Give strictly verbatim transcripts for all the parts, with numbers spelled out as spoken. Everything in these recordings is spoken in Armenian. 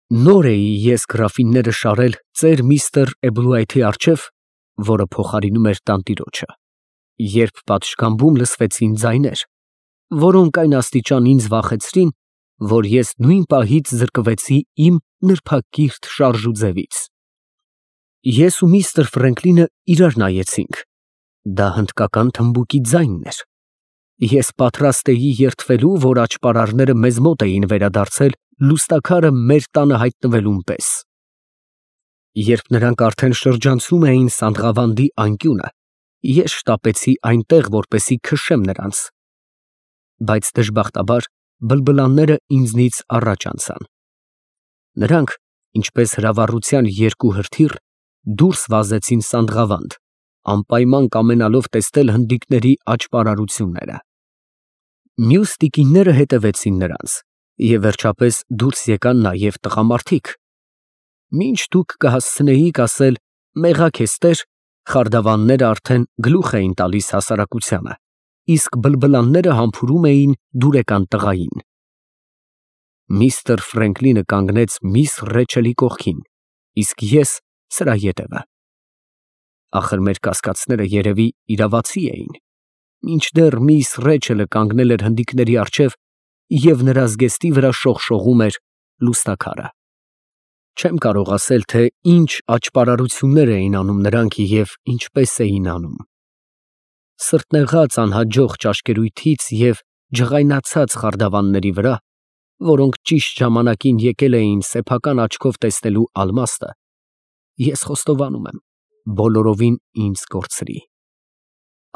Նոր էի ես գրաֆինները շարել ծեր միստր Էբլուայթի առջև, որը փոխարինում էր տանտիրոջը, երբ պատշգամբում լսվեցին ձայներ, որոնք այն աստիճան ինձ վախեցրին, որ ես նույն պահից զրկվեցի իմ նրբակիրթ շարժուձևից։ Ես ու միստր Ֆրենկլինը իրար նայեցինք. դա հնդկական թմբուկի ձայնն էր։ Ես պատրաստ էի երդվելու, որ աճպարարները մեզ մոտ էին վերադարձել լուստաքարը մեր տանը հայտնվելուն պես։ Երբ նրանք արդեն շրջանցում էին Սանդղավանդի անկյունը, ես շտապեցի այնտեղ, որպեսզի քշեմ նրանց, բայց դժբախտաբար բլբլանները ինձնից առաջ անցան։ Նրանք, ինչպես հրավառության երկու հրթիռ, դուրս վազեցին Սանդղավանդ, անպայման կամենալով տեսնել հնդիկների աճպարարությունները։ Մյուս տիկինները հետևեցին նրանց, և վերջապես դուրս եկան նաև տղամարդիկ։ Մինչ դուք կհասցնեիք ասել «մեղա քեզ տեր», խարդավանները արդեն գլուխ էին տալիս հասարակությանը, իսկ բլբլանները համբուրում էին դուրեկան տղային։ Միստր Ֆրենկլինը կանգնեց միս Ռեչելի կողքին, իսկ ես սրա ետևը։ Ախր մեր կասկածները երևի իրավացի էին, մինչդեռ միս Ռեչելը կանգնել էր հնդիկների առջև և նրա զգեստի վրա շողշողում էր լուստաքարը։ Չեմ կարող ասել, թե ինչ աճպարարություններ էին անում նրանք և ինչպես էին անում։ Սրտնեղած անհաջող ճաշկերույթից և ջղայնացած խարդավանների վրա, որոնք ճիշտ ժամանակին եկել էին սեփական աչքով տեսնելու ալմաստը, ես խոստովանում եմ, բոլորովին ինձ կորցրի։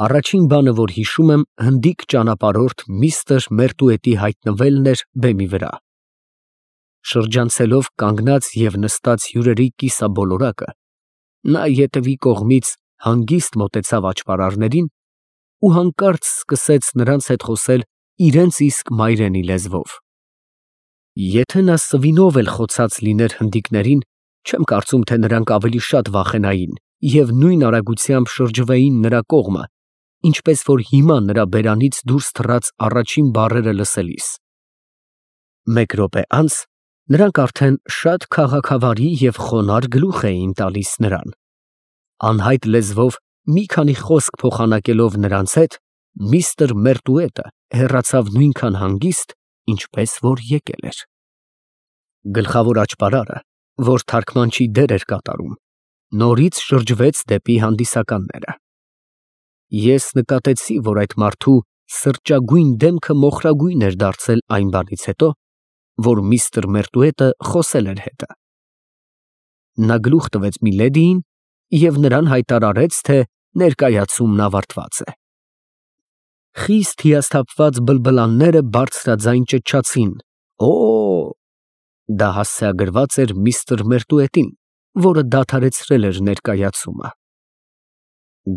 Առաջին բանը, որ հիշում եմ, հնդիկ ճանապարհորդ միստր Մերտուետի հայտնվելն էր բեմի վրա։ Շրջանցելով կանգնած և նստած հյուրերի կիսաբոլորակը, նա ետևի կողմից հանգիստ մոտեցավ աճպարարներին ու հանկարծ սկսեց նրանց հետ խոսել իրենց իսկ մայրենի լեզվով։ Եթե նա սվինով էլ խոցած լիներ հնդիկներին, չեմ կարծում, թե նրանք ավելի շատ վախենային և նույն արագությամբ շրջվեին նրա կողմը, ինչպես որ հիմա նրա բերանից դուրս թռած առաջին բառերը լսելիս։ Մեկ րոպե անց նրանք արդեն շատ քաղաքավարի և խոնարհ գլուխ էին տալիս նրան։ Անհայտ լեզվով մի քանի խոսք փոխանակելով նրանց հետ, միստր Մերտուետը հեռացավ նույնքան հանգիստ, ինչպես որ եկել էր։ Գլխավոր աճպարարը, որ թարգմանչի դեր էր կատարում, նորից շրջվեց դեպի հանդիսականները։ Ես նկատեցի, որ այդ մարդու սրճագույն դեմքը մոխրագույն էր դարձել այն բանից հետո, որ միստր Մերտուետը խոսել էր հետը։ Նա գլուխ տվեց միլեդիին և նրան հայտարարեց, թե ներկայացումն ավարտված է։ Խիստ հիասթափված բլբլանները բարձրաձայն ճչացին. «Օ՜»։ Դա հասցեագրված էր միստր Մերտուետին, որը դադարեցրել էր ներկայացումը։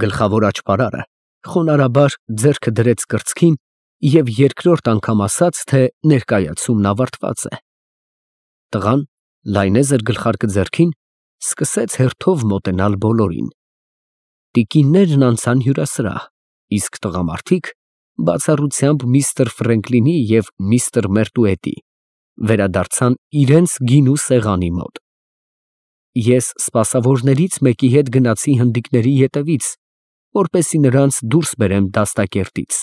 Գլխավոր աճպարարը խոնարհաբար ձեռքը դրեց կրծքին և երկրորդ անգամ ասաց, թե ներկայացումն ավարտված է։ Տղան, լայնեզր գլխարկը ձեռքին, սկսեց հերթով մոտենալ բոլորին։ Տիկիններն անցան հյուրասրահ, իսկ տղամարդիկ, բացառությամբ միստր Ֆրենկլինի և միստր Մերտուետի, վերադարձան իրենց գինու սեղանի մոտ։ Ես սպասավորներից մեկի հետ գնացի հնդիկների ետևից, որպեսզի նրանց դուրս բերեմ դաստակերտից։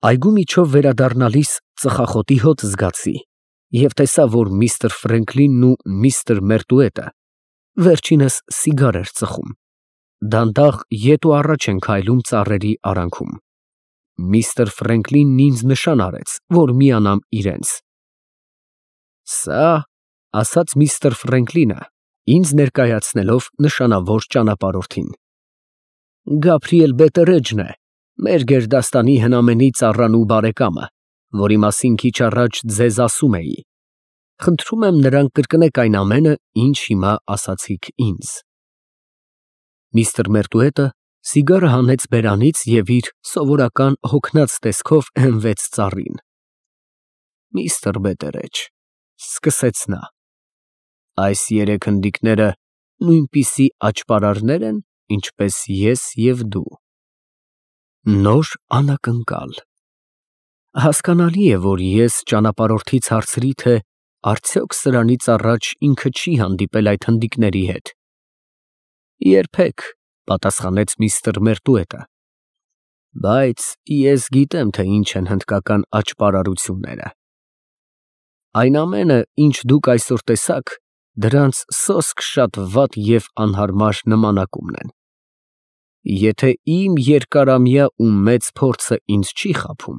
Այգու միջով վերադառնալիս ծխախոտի հոտ զգացի և տեսա, որ միստր Ֆրենկլինն ու միստր Մերտուետը վերջինս սիգար էր ծխում, դանդաղ ետ ու առաջ են քայլում ծառերի արանքում։ Միստր Ֆրենկլինն ինձ նշան արեց, որ միանամ իրենց։ «Սա, ֊ ասաց միստր Ֆրենկլինը, ինձ ներկայացնելով նշանավոր ճանապարհորդին, ֊ Գաբրիել Բետերեջն է, մեր գերդաստանի հնամենի ծառան ու բարեկամը, որի մասին քիչ առաջ ձեզ ասում էի։ Խնդրում եմ նրան կրկնեք այն ամենը, ինչ հիմա ասացիք ինձ»։ Միստր Մերտուետը սիգարը հանեց բերանից և իր սովորական հոգնած տեսքով հենվեց ծառին։ «Միստր Բետերեջ, ֊ սկսեց նա, ֊ այս երեք հնդիկները նույնպիսի աճպարարնե՞ր են, ինչպես ես և դու»։ Նոր անակնկալ։ Հասկանալի է, որ ես ճանապարհորդից հարցրի, թե արդյոք սրանից առաջ ինքը չի հանդիպել այդ հնդիկների հետ։ Երբեք, պատասխանեց միստր Մերտուետը, բայց ես գիտեմ, թե ինչ են հնդկական աճպարարությունները։ Այն ամենը, ինչ դուք այսօր տեսաք, դրանց սոսկ շատ վատ և անհարմար նմանակումն են։ Եթե իմ երկարամյա ու մեծ փորձը ինձ չի խաբում,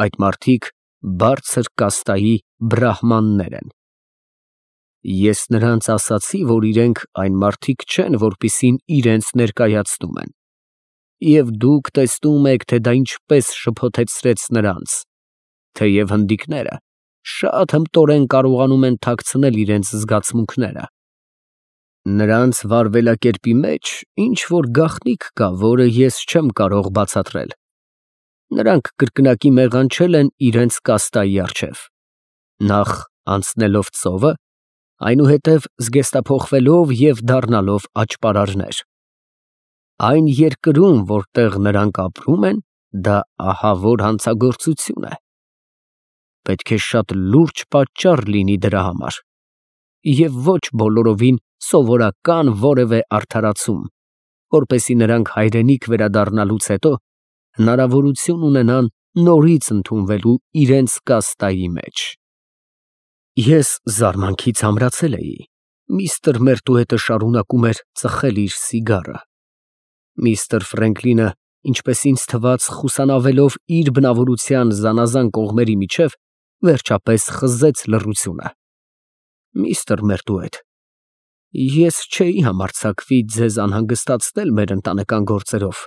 այդ մարդիկ բարձր կաստայի բրահմաններ են։ Ես նրանց ասացի, որ իրենք այն մարդիկ չեն, որպիսին իրենց ներկայացնում են, և դուք տեսնում եք, թե դա ինչպես շփոթեցրեց նրանց, թեև հնդիկները շատ հմտորեն կարողանում են թաքցնել իրենց զգացմունքները։ Նրանց վարվելակերպի մեջ ինչ֊որ գաղտնիք կա, որը ես չեմ կարող բացատրել։ Նրանք կրկնակի մեղանչել են իրենց կաստայի առջև, նախ անցնելով ծովը, այնուհետև զգեստափոխվելով և դառնալով աճպարարներ։ Այն երկրում, որտեղ նրանք ապրում են, դա ահավոր հանցագործություն է։ Պետք է շատ լուրջ պատճառ լինի դրա համար, և ոչ բոլորովին սովորական որևէ արդարացում, որպեսզի նրանք հայրենիք վերադառնալուց հետո հնարավորություն ունենան նորից ընդունվելու իրենց կաստայի մեջ։ Ես զարմանքից ամրացել էի։ Միստր Մերտուետը շարունակում էր ծխել իր սիգարը։ Միստր Ֆրենկլինը, ինչպես ինձ թվաց, խուսանավելով իր բնավորության զանազան կողմերի միջև, վերջապես խզեց լռությունը։ Միստր Մերտուետ, ես չէի համարձակվի ձեզ անհանգստացնել մեր ընտանեկան գործերով,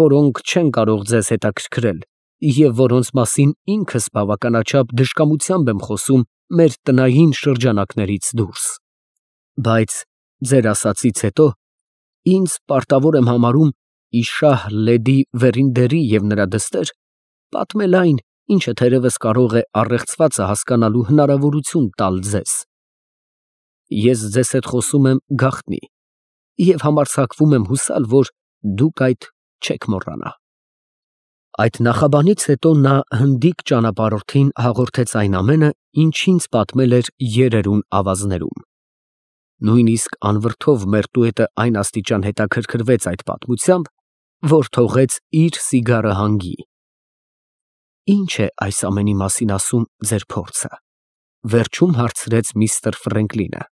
որոնք չեն կարող ձեզ հետաքրքրել և որոնց մասին ինքս բավականաչափ դժկամությամբ եմ խոսում մեր տնային շրջանակներից դուրս, բայց ձեր ասածից հետո ինձ պարտավոր եմ համարում ի շահ լեդի Վերինդերի և նրա դստեր պատմել այն, ինչը թերևս կարող է առեղծվածը հասկանալու հնարավորություն տալ ձեզ։ Ես ձեզ հետ խոսում եմ գաղտնի և համարձակվում եմ հուսալ, որ դուք այդ չեք մոռանա։ Այդ նախաբանից հետո նա հնդիկ ճանապարհորդին հաղորդեց այն ամենը, ինչ ինձ պատմել էր երերուն ավազներում։ Նույնիսկ անվրդով Մերտուետը այն աստիճան հետաքրքրվեց այդ պատմությամբ, որ թողեց իր սիգարը հանգի։ Ի՞նչ է այս ամենի մասին ասում ձեր փորձը, վերջում հարցրեց միստր Ֆրենկլինը։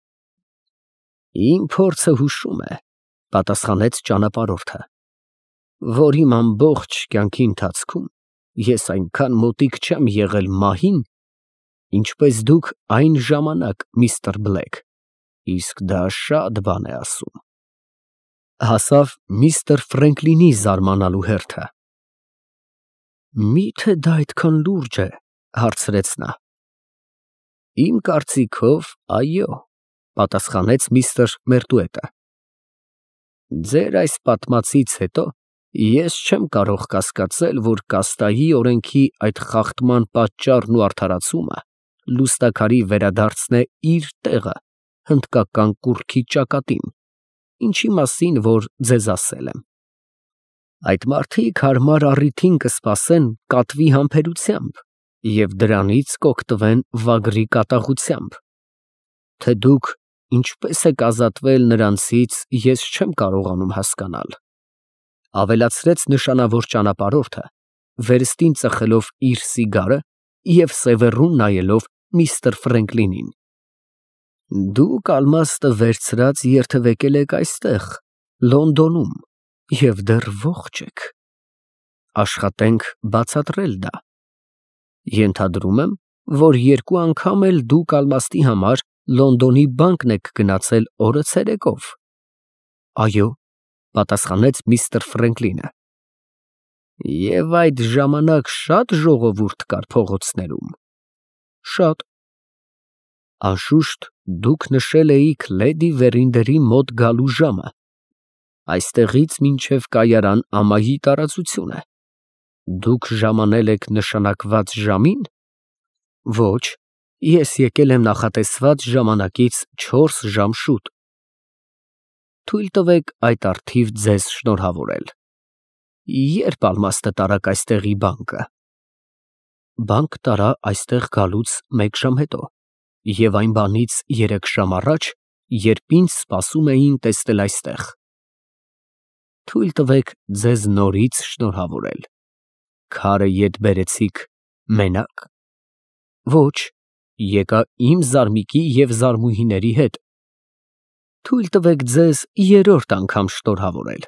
Իմ փորձը հուշում է, պատասխանեց ճանապարհորդը, որ իմ ամբողջ կյանքի ընթացքում ես այնքան մոտիկ չեմ եղել մահին, ինչպես դուք այն ժամանակ, միստր Բլեք, իսկ դա շատ բան է ասում։ Հասավ միստր Ֆրենկլինի զարմանալու հերթը։ Մի՞թե դա այդքան լուրջ է, հարցրեց նա։ Իմ կարծիքով, այո, պատասխանեց միստր Մերտուետը։ Ձեր այս պատմածից հետո ես չեմ կարող կասկածել, որ կաստայի օրենքի այդ խախտման պատճառն ու արդարացումը լուստաքարի վերադարձն է իր տեղը հնդկական կուռքի ճակատին, ինչի մասին որ ձեզ ասել եմ։ Այդ մարդիկ հարմար առիթին կսպասեն կատվի համբերությամբ և դրանից կօգտվեն վագրի կատաղությամբ։ Թե դուք ինչպես եք ազատվել նրանցից, ես չեմ կարողանում հասկանալ, ավելացրեց նշանավոր ճանապարհորդը, վերստին ծխելով իր սիգարը և սևեռուն նայելով միստր Ֆրենկլինին։ Դուք ալմաստը վերցրած երթևեկել եք այստեղ, Լոնդոնում, և դեռ ողջ եք։ Աշխատենք բացատրել դա։ Ենթադրում եմ, որ երկու անգամ էլ դուք ալմաստի համար Լոնդոնի բանկն եք գնացել օրը ցերեկով։ Այո, պատասխանեց միստր Ֆրենկլինը։ Եվ այդ ժամանակ շատ ժողովուրդ կար փողոցներում։ Շատ։ Անշուշտ դուք նշել էիք լեդի Վերինդերի մոտ գալու ժամը։ Այստեղից մինչև կայարան ամայի տարածություն է։ Դուք ժամանել եք նշանակված ժամի՞ն։ Ոչ, ես եկել եմ նախատեսված ժամանակից չորս ժամ շուտ։ Թույլ տվեք այդ առթիվ ձեզ շնորհավորել։ Ե՞րբ ալմաստը տարաք այստեղի բանկը։ Բանկ տարա այստեղ գալուց մեկ ժամ հետո։ և այն բանից երեք ժամ առաջ, երբ ինձ սպասում էին տեսնել այստեղ։ Թույլ տվեք ձեզ նորից շնորհավորել։ Քարը ետ բերեցիք մենա՞կ։ Ոչ, եկա իմ զարմիկի և զարմուհիների հետ։ Թույլ տվեք ձեզ երրորդ անգամ շնորհավորել։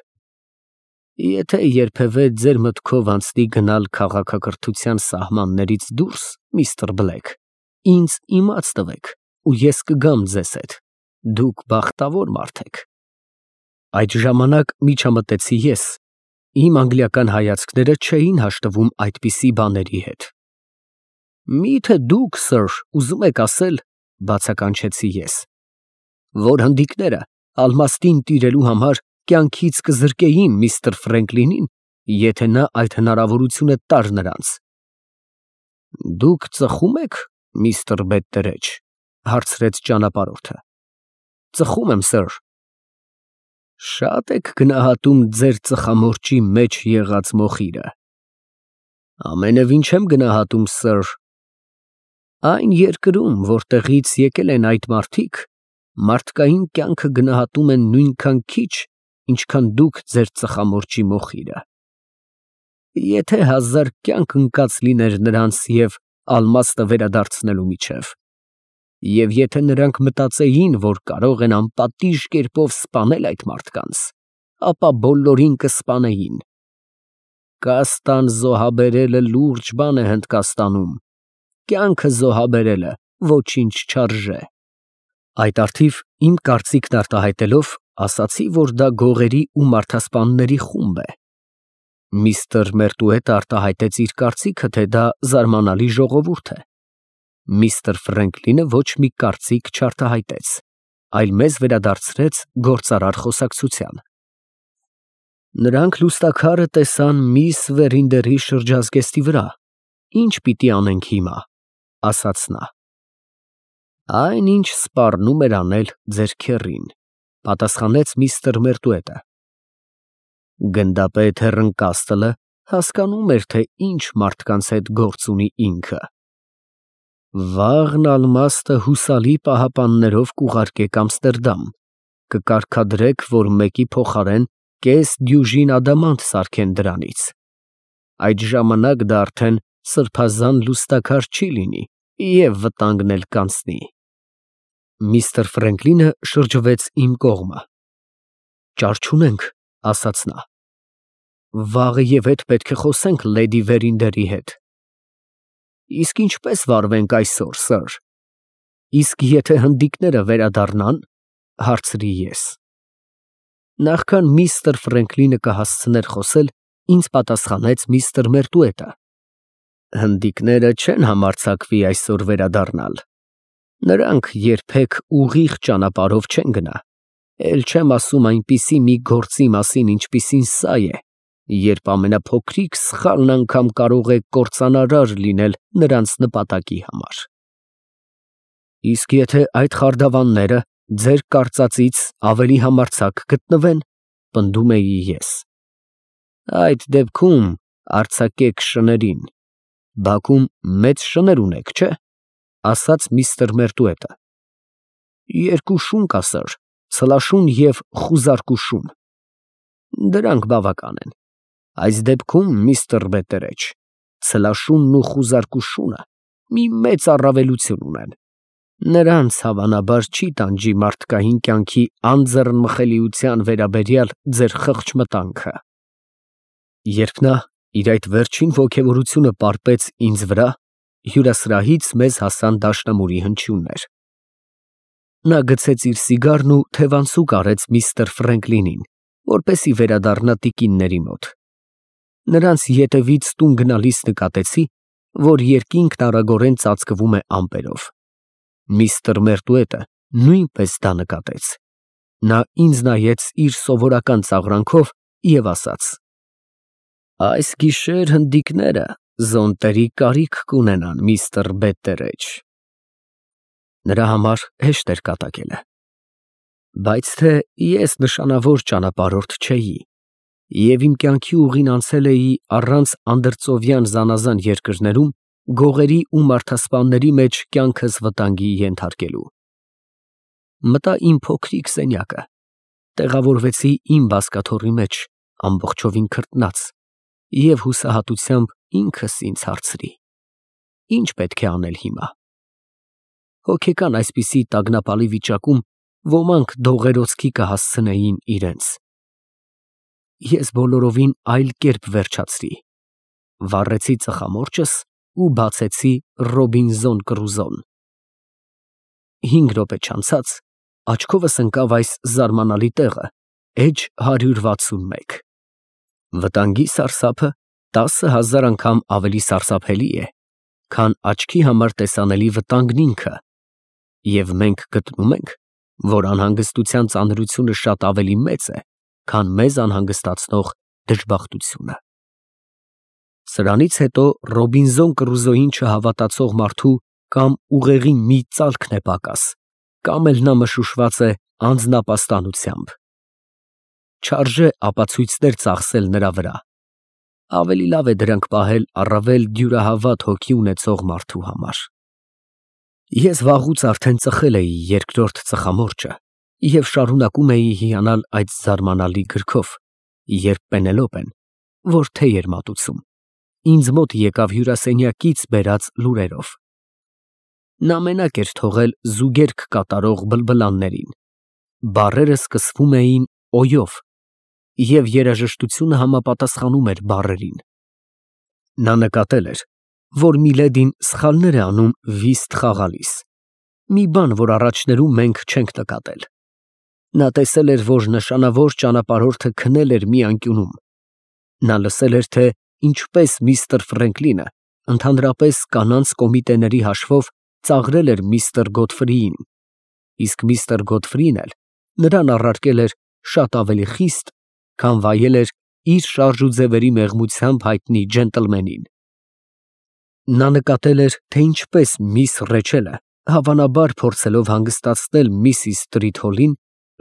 Եթե երբևէ ձեր մտքով անցնի գնալ քաղաքակրթության սահմաններից դուրս, միստր Բլեք, ինձ իմաց տվեք, ու ես կգամ ձեզ հետ, դուք բախտավոր մարդ եք։ Այդ ժամանակ միջամտեցի ես, իմ անգլիական հայացքները չէին հաշտվում այդպիսի բաների հետ։ Մի՞թե դուք, սըր, ուզում եք ասել, բացականչեցի ես, որ հնդիկները ալմաստին տիրելու համար կյանքից կզրկեին միստր Ֆրենկլինին, եթե նա այդ հնարավորությունը տար նրանց։ Դուք ծխո՞ւմ եք, միստր Բետտերեջ, հարցրեց ճանապարհորդը։ Ծխում եմ, սըր։ Շատ եք գնահատում ձեր ծխամորճի մեջ եղած մոխիրը։ Ամենևին չեմ գնահատում, սըր։ Այն երկրում, որտեղից եկել են այդ մարդիկ, մարդկային կյանքը գնահատում են նույնքան քիչ, ինչքան դուք ձեր ծխամորճի մոխիրը։ Եթե հազար կյանք ընկած լիներ նրանց և ալմաստը վերադարձնելու միջև, և եթե նրանք մտածեին, որ կարող են անպատիժ կերպով սպանել այդ մարդկանց, ապա բոլորին կսպանեին։ Կաստան զոհաբերելը լուրջ բան է Հնդկաստանում, կյանքը զոհաբերելը ոչինչ չարժե։ Այդ առթիվ իմ կարծիքն արտահայտելով, ասացի, որ դա գողերի ու մարդասպանների խումբ է։ Միստր Մերտուետը արտահայտեց իր կարծիքը, թե դա զարմանալի ժողովուրդ է։ Միստր Ֆրենկլինը ոչ մի կարծիք չարտահայտեց, այլ մեզ վերադարձրեց գործարար խոսակցության։ Նրանք լուստաքարը տեսան միս Վերինդերի շրջազգեստի վրա, ի՞նչ պիտի անենք հիմա, ասաց նա։ Այն, ինչ սպառնում էր անել ձեր քեռին, պատասխանեց միստր Մերտուետը։ Գնդապետ Հեռնկաստլը հասկանում էր, թե ինչ մարդկանց հետ գործ ունի ինքը։ Վաղն ալմաստը հուսալի պահապաններով կուղարկեք Ամստերդամ, կկարգադրեք, որ մեկի փոխարեն կես դյուժին ադամանդ սարքեն դրանից։ Այդ ժամանակ դա արդեն սրբազան լուստաքար չի լինի և վտանգն էլ կանցնի։ Միստր Ֆրենկլինը շրջվեց իմ կողմը։ Ճար չունենք, ասաց նա։ Վաղը և ետ պետք է խոսենք լեդի Վերինդերի հետ։ Իսկ ինչպես վարվենք այսօր, սըր։ Իսկ եթե հնդիկները վերադառնան, հարցրի ես։ Նախքան միստր Ֆրենկլինը կհասցներ խոսել, ինձ պատասխանեց միստր Մերտուետը։ Հնդիկները չեն համարձակվի այսօր վերադառնալ։ Նրանք երբեք ուղիղ ճանապարհով չեն գնա, էլ չեմ ասում այնպիսի մի գործի մասին, ինչպիսին սա է, երբ ամենափոքրիկ սխալն անգամ կարող է կործանարար լինել նրանց նպատակի համար։ Իսկ եթե այդ խարդավանները ձեր կարծածից ավելի համարձակ գտնվեն, պնդում էի ես, այդ դեպքում արձակեք շներին։ Բաքում մեծ շներ ունեք, չէ՞, ասաց միստր Մերտուետը։ Երկու շուն կա, սըր, ցլաշուն և խուզարկուշուն։ Դրանք բավական են։ Այս դեպքում, միստր Բետտերեջ, ցլաշունն ու խուզարկուշունը մի մեծ առավելություն ունեն։ Նրանց հավանաբար չի տանջի մարդկային կյանքի անձեռնմխելիության վերաբերյալ ձեր խղճ մտանքը։ Երբ նա իր այդ վերջին ոգևորությունը պարպեց ինձ վրա, հյուրասրահից մեզ հասան դաշնամուրի հնչյուններ։ Նա գցեց իր սիգարն ու թևանցուկ արեց միստր Ֆրենկլինին, որպեսզի վերադառնա տիկինների մոտ։ Նրանց ետևից տուն գնալիս նկատեցի, որ երկինքն արագորեն ծածկվում է ամպերով։ Միստր Մերտուետը նույնպես դա նկատեց։ Նա ինձ նայեց իր սովորական ծաղրանքով և ասաց. Այս գիշեր հնդիկները զոնտերի կարիք կունենան, միստր Բետտերեջ։ Նրա համար հեշտ էր կատակելը։ Բայց թե ես նշանավոր ճանապարհորդ չէի, և իմ կյանքի ուղին անցել էի առանց անդրծովյան զանազան երկրներում, գողերի ու մարդասպանների մեջ կյանքս վտանգի ենթարկելու։ Մտա իմ փոքրիկ սենյակը, տեղավորվեցի իմ բազկաթոռի մեջ, ամբողջովին քրտնած, և հուսահատությամբ ինքս ինձ հարցրի. ի՞նչ պետք է անել հիմա։ Հոգեկան այսպիսի տագնապալի վիճակում ոմանք դողերոցքի կհասցնեին իրենց։ Ես բոլորովին այլ կերպ վերջացրի, վառեցի ծխամորճս ու բացեցի Ռոբինզոն Կռուզոն։ Հինգ րոպե չանցած աչքովս ընկավ այս զարմանալի տեղը, էջ հարյուր վաթսունմեկ։ Վտանգի սարսափը տասը հազար անգամ ավելի սարսափելի է, քան աչքի համար տեսանելի վտանգն ինքը, և մենք գտնում ենք, որ անհանգստության ծանրությունը շատ ավելի մեծ է, քան մեզ անհանգստացնող դժբախտությունը։ Սրանից հետո Ռոբինզոն Կռուզոյին չհավատացող մարդու կամ ուղեղի մի ծալքն է պակաս, կամ էլ նա մշուշված է անձնապաստանությամբ։ Չարժե ապացույցներ ծախսել նրա վրա, ավելի լավ է դրանք պահել առավել դյուրահավատ հոգի ունեցող մարդու համար։ Ես վաղուց արդեն ծխել էի երկրորդ ծխամորճը և շարունակում էի հիանալ այդ զարմանալի գրքով, երբ Պենելոպեն, որ թեյ էր մատուցում, ինձ մոտ եկավ հյուրասենյակից բերած լուրերով։ Նա մենակ էր թողել զուգերգ կատարող բլբլաններին, բառերը սկսվում էին օ֊ով, և երաժշտությունը համապատասխանում էր բառերին։ Նա նկատել էր, որ Միլեդին սխալներ է անում վիստ խաղալիս, մի բան, որ առաջներում մենք չենք նկատել։ Նա տեսել էր, որ նշանավոր ճանապարհորդը քնել էր մի անկյունում։ Նա լսել էր, թե ինչպես միստր Ֆրենկլինը ընդհանրապես կանանց կոմիտեների հաշվով ծաղրել էր միստր Գոդֆրիին, իսկ միստր Գոդֆրին էլ նրան առարկել էր շատ ավելի խիստ, քան վայել էր իր շարժուձևերի մեղմությամբ հայտնի ջենտլմենին։ Նա նկատել էր, թե ինչպես միս Ռեչելը, հավանաբար փորձելով հանգստացնել միսիս Տրիթոլին,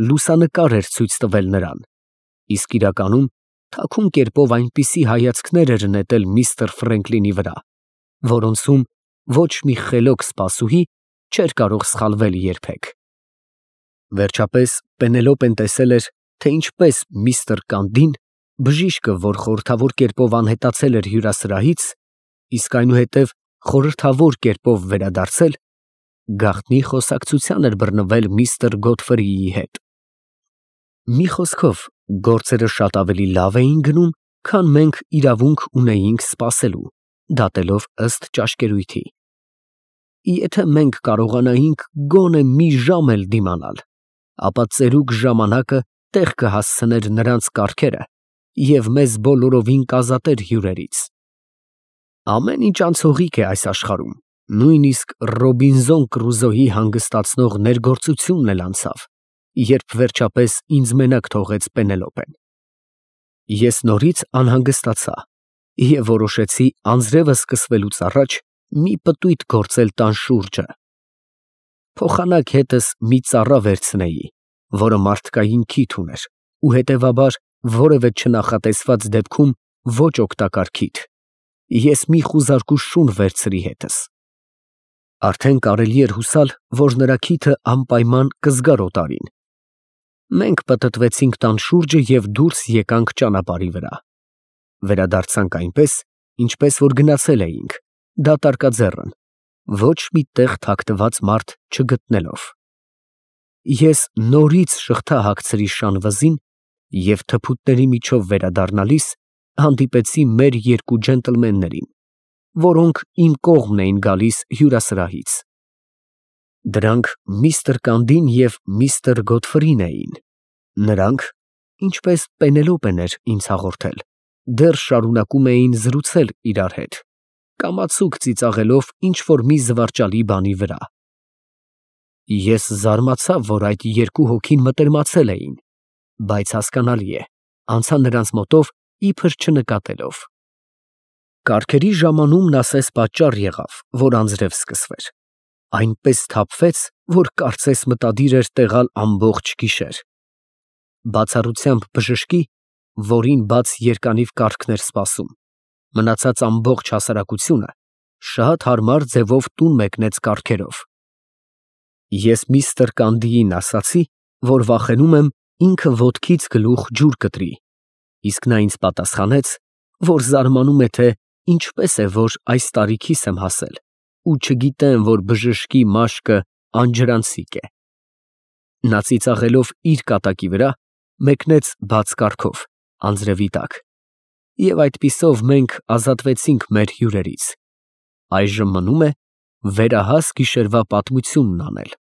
լուսանկար էր ցույց տվել նրան, իսկ իրականում թաքուն կերպով այնպիսի հայացքներ էր նետել միստր Ֆրենկլինի վրա, որոնցում ոչ մի խելոք սպասուհի չէր կարող սխալվել երբեք։ Վերջապես Պենելոպեն տեսել էր, թե ինչպես միստր Կանդին, բժիշկը, որ խորհրդավոր կերպով անհետացել էր հյուրասրահից, իսկ այնուհետև խորհրդավոր կերպով վերադարձել, գաղտնի խոսակցության էր բռնվել միստր Գոդֆրիի հետ։ Մի խոսքով, գործերը շատ ավելի լավ էին գնում, քան մենք իրավունք ունեինք սպասելու, դատելով ըստ ճաշկերույթի։ Եթե մենք կարողանայինք գոնե մի ժամ էլ դիմանալ, ապա ծերուկ ժամանակը տեղ կհասցներ նրանց կառքերը և մեզ բոլորովին կազատեր հյուրերից։ Ամեն ինչ անցողիկ է այս աշխարհում, նույնիսկ Ռոբինզոն Կռուզոյի հանգստացնող ներգործությունն էլ անցավ, երբ վերջապես ինձ մենակ թողեց Պենելոպեն։ Ես նորից անհանգստացա և որոշեցի անձրևը սկսվելուց առաջ մի պտույտ գործել տան շուրջը։ Փոխանակ հետս մի ծառա վերցնեի, որը մարդկային քիթ ուներ ու հետևաբար որևէ չնախատեսված դեպքում ոչ օգտակար քիթ։ Ես մի խուզարկու շուն վերցրի հետս։ Արդեն կարելի էր հուսալ, որ նրա քիթը անպայման կզգար օտարին։ Մենք պտտվեցինք տան շուրջը և դուրս եկանք ճանապարհի վրա։ Վերադարձանք այնպես, ինչպես որ գնացել էինք, դատարկաձեռն, ոչ մի տեղ թաքնված մարդ չգտնելով։ Ես նորից շղթա հագցրի շան վզին և թփուտների միջով վերադառնալիս հանդիպեցի մեր երկու ջենտլմեններին, որոնք իմ կողմն էին գալիս հյուրասրահից։ Դրանք միստր Կանդին և միստր Գոդֆրին էին։ Նրանք, ինչպես Պենելոպեն էր ինձ հաղորդել, դեռ շարունակում էին զրուցել իրար հետ, կամացուկ ծիծաղելով ինչ֊որ մի զվարճալի բանի վրա։ Ես զարմացա, որ այդ երկու հոգին մտերմացել էին, բայց հասկանալի է, անցա նրանց մոտով իբր չնկատելով։ Կառքերի ժամանումն ասես պատճառ եղավ, որ անձրև սկսվեր, այնպես սթափվեց, որ կարծես մտադիր էր տեղալ ամբողջ գիշեր։ Բացառությամբ բժշկի, որին բաց երկանիվ կառքն էր սպասում, մնացած ամբողջ հասարակությունը շատ հարմար ձևով տուն մեկնեց կառքերով։ Ես միստր Կանդիին ասացի, որ վախենում եմ ինքը ոտքից գլուխ ջուր կտրի, իսկ նա ինձ պատասխանեց, որ զարմանում է, թե ինչպես է, որ այս տարիքիս եմ հասել ու չգիտեմ, որ բժշկի մաշկը անջրանցիկ է։ Նա ծիծաղելով իր կատակի վրա, մեկնեց բաց կառքով, անձրևի տակ, և այդպիսով մենք ազատվեցինք մեր հյուրերից։ Այժմ մնում է վերահաս գիշերվա պատմությունն անել։